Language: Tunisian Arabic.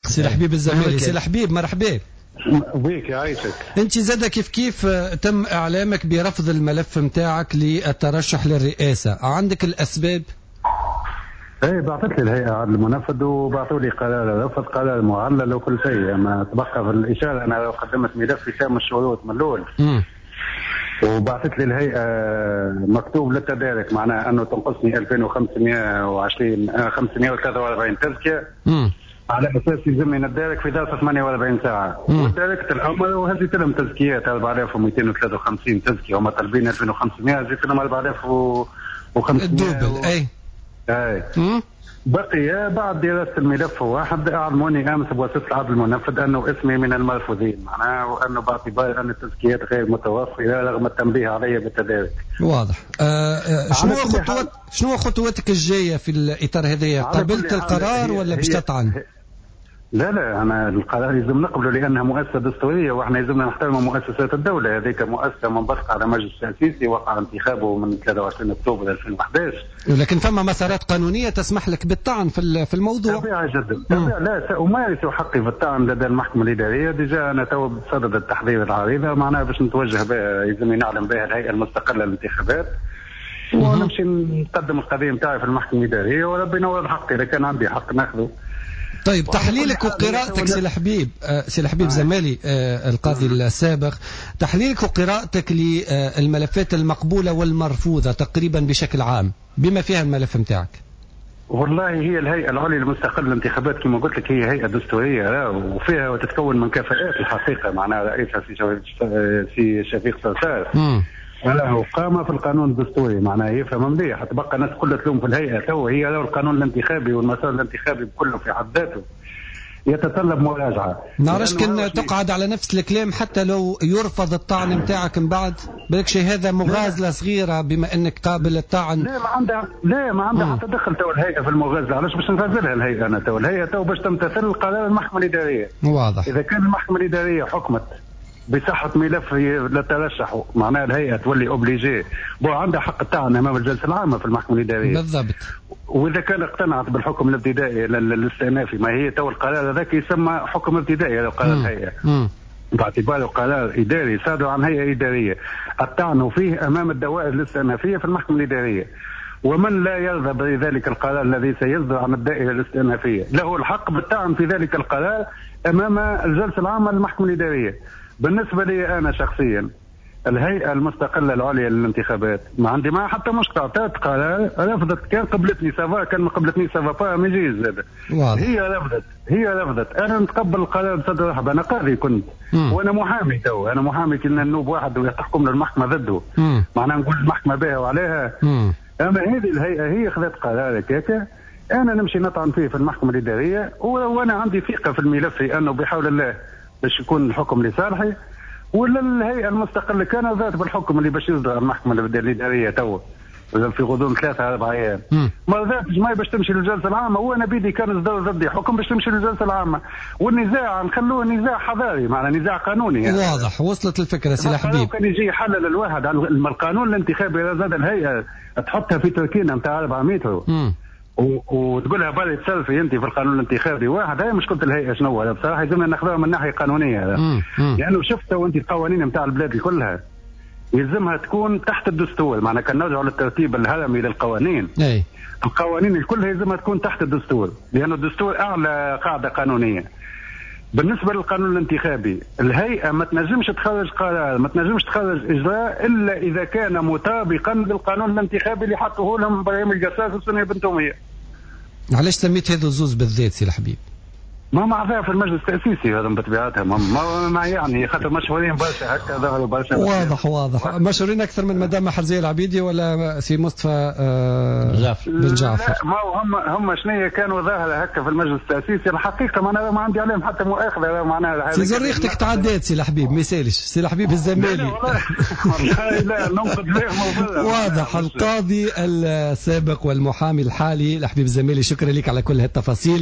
سي الحبيب الزمالي، سي الحبيب مرحبا بيك يعيشك. انت زاد كيف كيف تم اعلامك برفض الملف نتاعك للترشح للرئاسة، عندك الاسباب؟ اي بعثت لي الهيئة عدل المنفذ وبعثوا لي قرار رفض، قرار معلل وكل شيء، اما تبقى في الاشارة انا لو قدمت ملف شامل الشروط من الاول وبعثت لي الهيئة مكتوب للتدارك، معناها انه تنقصني 2520 543 تزكيه على اساس يلزمني نتدارك في ظرف 48 ساعة، وتداركت الامر وهزيت لهم تزكيات 4253 تزكيه، هما طالبين 2500 هزيت لهم 4500 ال double. اي اي بقي بعد دراسة الملف واحد اعلموني امس بواسطة العدل المنفذ انه اسمي من المرفوضين، معناه وانه باعتبار ان التزكيات غير متوفرة رغم التنبيه علي بالتدارك. واضح. شنو خطواتك الجاية في الاطار هذايا؟ قبلت القرار ولا باش تطعن؟ لا لا، انا القرار لازم نقبله لانها مؤسسة دستورية واحنا لازمنا نحترم مؤسسات الدولة، هذيك مؤسسة منبثقه على مجلس تاسيسي وقع انتخابه من 23 اكتوبر 2011. لكن فما مسارات قانونية تسمح لك بالطعن في الموضوع. طبيعي جدا، طبيعي. لا سامارس حقي في الطعن لدى المحكمة الادارية، déjà انا تو بصدد التحضير العريضة معناها باش نتوجه بها، يلزمني نعلم بها الهيئة المستقلة للانتخابات ونمشي نقدم القضية نتاعي في المحكمة الادارية وربي ينور حقي اذا كان عندي حق ناخذه. طيب تحليلك وقراءتك سي الحبيب، سي الحبيب زمالي القاضي السابق، تحليلك وقراءتك للملفات المقبولة والمرفوضة تقريبا بشكل عام بما فيها الملف نتاعك. والله هي الهيئة العليا المستقلة للانتخابات كما قلت لك هي هيئة دستورية وفيها وتتكون من كفاءات الحقيقة، معناها رئيسها سي شفيق صرصار له قامة في القانون الدستوري، معناها يفهم مليح. تبقى الناس كلها تلوم في الهيئة تو، هي لو القانون الانتخابي والمسار الانتخابي كله في حد ذاته يتطلب مراجعة. نعرفش كان تقعد على نفس الكلام حتى لو يرفض الطعن نتاعك من بعد، بالك شيء هذا مغازلة صغيرة بما انك قابل الطعن. لا ما عندها، لا ما عندها حتى دخل تو الهيئة في المغازلة، علاش باش نغازلها الهيئة انا تو؟ الهيئة تو باش تمتثل قرار المحكمة الإدارية. واضح. إذا كان المحكمة الإدارية حكمت بصحة ملف لا ترشحوا، معناها الهيئة تولي obligée، bon عندها حق الطعن أمام الجلسة العامة في المحكمة الإدارية. بالضبط. وإذا كان اقتنعت بالحكم الابتدائي الاستئنافي، ما هي تو القرار هذاك يسمى حكم ابتدائي لو قرار الهيئة. باعتباره قرار إداري صادر عن هيئة إدارية، الطعن فيه أمام الدوائر الاستئنافية في المحكمة الإدارية. ومن لا يرضى بذلك القرار الذي سيصدر عن الدائرة الاستئنافية له الحق بالطعن في ذلك القرار أمام الجلسة العامة للمحكمة الإدارية. بالنسبة لي أنا شخصيا الهيئة المستقلة العليا للانتخابات ما عندي معها حتى مشكلة، أعطت قرار رفضت، كان قبلتني ça va، كان ما قبلتني ça va pas ما يجيش زاد. هي رفضت، هي رفضت، أنا نتقبل القرار بصدر رحب، أنا قاضي كنت وأنا محامي تو، أنا محامي كنا نوب واحد وتحكم للمحكمة ضده، معناها نقول المحكمة بها وعليها. أما هذه الهيئة هي خذت قرار هكاك، أنا نمشي نطعن فيه في المحكمة الإدارية وأنا عندي ثقة في الملف أنه بحول الله باش يكون الحكم لصالحي. ولا الهيئة المستقلة كان ذات بالحكم اللي باش يصدر المحكمة الإدارية تو في غضون 3-4 أيام، ما ذاتش ما باش تمشي للجلسة العامة، وأنا بيدي كان صدر ضدي حكم باش تمشي للجلسة العامة، والنزاع نخلوه نزاع حضاري معناها نزاع قانوني يعني. واضح، وصلت الفكرة سي الحبيب. كان يجي يحلل الواحد على القانون الانتخابي زاد الهيئة تحطها في تركينة نتاع 4 متر وتقولها بالي تسلفي انت في القانون الانتخابي واحد، هاي مشكلة الهيئة شنو بصراحة لازمنا ناخذوها من ناحية قانونية، لانه شفت وانت القوانين نتاع البلاد كلها يلزمها تكون تحت الدستور، معناها كان نرجعوا للترتيب الهرمي للقوانين. القوانين الكل يلزمها تكون تحت الدستور، لأن الدستور أعلى قاعدة قانونية. بالنسبة للقانون الانتخابي الهيئة ما تنجمش تخرج قرار، ما تنجمش تخرج إجراء إلا إذا كان مطابقا للقانون الانتخابي اللي حطوه لهم إبراهيم القصاص وسنية بن تومية. علاش سميت هذو الزوز بالذات سي الحبيب؟ ما معذاها في المجلس التأسيسي هذا بطبيعتها، ما يعني خاطر مشهورين برشا هكا ظهروا برشا. واضح واضح، مشهورين أكثر من مدام محرزية العبيدي ولا سي مصطفى بن جعفر. لا ما هم شنية كانوا ظاهرة هكا في المجلس التأسيسي الحقيقة، معناها ما عندي عليهم حتى مؤاخذة معناها. سي زريختك تعدات سي الحبيب، ما يسالش سي الحبيب الزمالي. والله لا ننقد لهم. واضح، القاضي السابق والمحامي الحالي الحبيب الزمالي، شكرا لك على كل هالتفاصيل.